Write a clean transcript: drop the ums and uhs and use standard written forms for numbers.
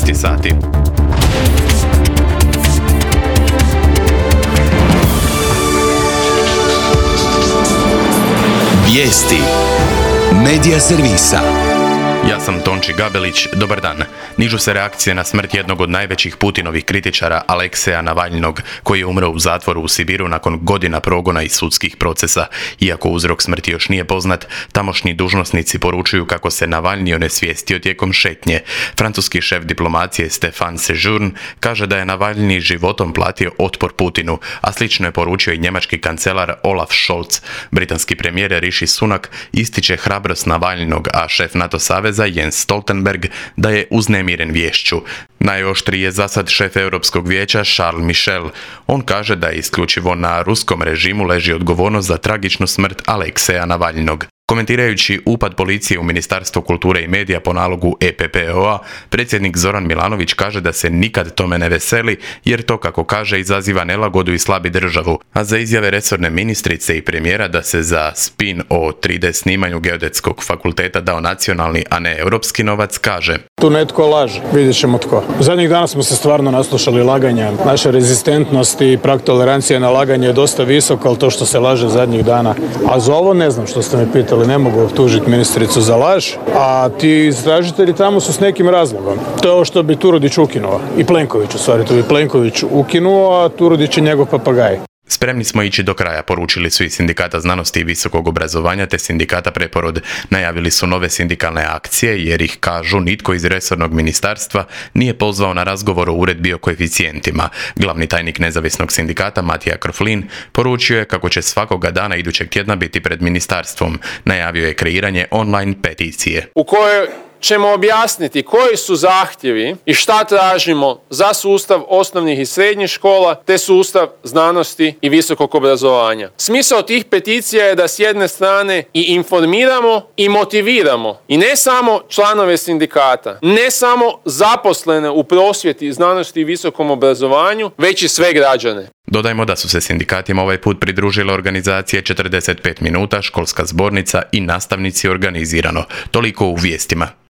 13 sati. Vijesti Medija servisa. Ja sam Tonči Gabelić, dobar dan. Nižu se reakcije na smrt jednog od najvećih Putinovih kritičara, Alekseja Navalnog, koji je umro u zatvoru u Sibiru nakon godina progona i sudskih procesa. Iako uzrok smrti još nije poznat, tamošnji dužnosnici poručuju kako se Navalni onesvijestio tijekom šetnje. Francuski šef diplomacije Stéphane Séjourne kaže da je Navalni životom platio otpor Putinu, a slično je poručio i njemački kancelar Olaf Scholz. Britanski premijer Rishi Sunak ističe hrabrost Navalnog, a šef NATO saveza Jens Stoltenberg da je uznemiren viješću. Najoštriji je zasad šef Europskog vijeća Charles Michel. On kaže da isključivo na ruskom režimu leži odgovornost za tragičnu smrt Alekseja Navalnog. Komentirajući upad policije u Ministarstvo kulture i medija po nalogu EPPO-a, predsjednik Zoran Milanović kaže da se nikad tome ne veseli, jer to, kako kaže, izaziva nelagodu i slabi državu. A za izjave resorne ministrice i premijera da se za spin o 3D snimanju Geodetskog fakulteta dao nacionalni, a ne europski novac, kaže: Tu netko laže, vidjet ćemo tko. Zadnjih dana smo se stvarno naslušali laganja. Naša rezistentnost i prag tolerancije na laganje je dosta visok, ali to što se laže zadnjih dana. A za ovo ne znam što ste me pitali, ne mogu optužiti ministricu za laž, a ti istražitelji tamo su s nekim razlogom. To je ovo što bi Turudić ukinuo. I Plenković, u stvari, to bi Plenković ukinuo, a Turudić je njegov papagaj. Spremni smo ići do kraja, poručili su iz Sindikata znanosti i visokog obrazovanja te Sindikata Preporod. Najavili su nove sindikalne akcije jer ih, kažu, nitko iz resornog ministarstva nije pozvao na razgovor o uredbi o koeficijentima. Glavni tajnik nezavisnog sindikata Matija Krflin poručio je kako će svakoga dana idućeg tjedna biti pred ministarstvom. Najavio je kreiranje online peticije u kojoj ćemo objasniti koji su zahtjevi i šta tražimo za sustav osnovnih i srednjih škola te sustav znanosti i visokog obrazovanja. Smisao tih peticija je da s jedne strane i informiramo i motiviramo i ne samo članove sindikata, ne samo zaposlene u prosvjeti, znanosti i visokom obrazovanju, već i sve građane. Dodajmo da su se sindikatima ovaj put pridružile organizacije 45 minuta, školska zbornica i nastavnici organizirano. Toliko u vijestima.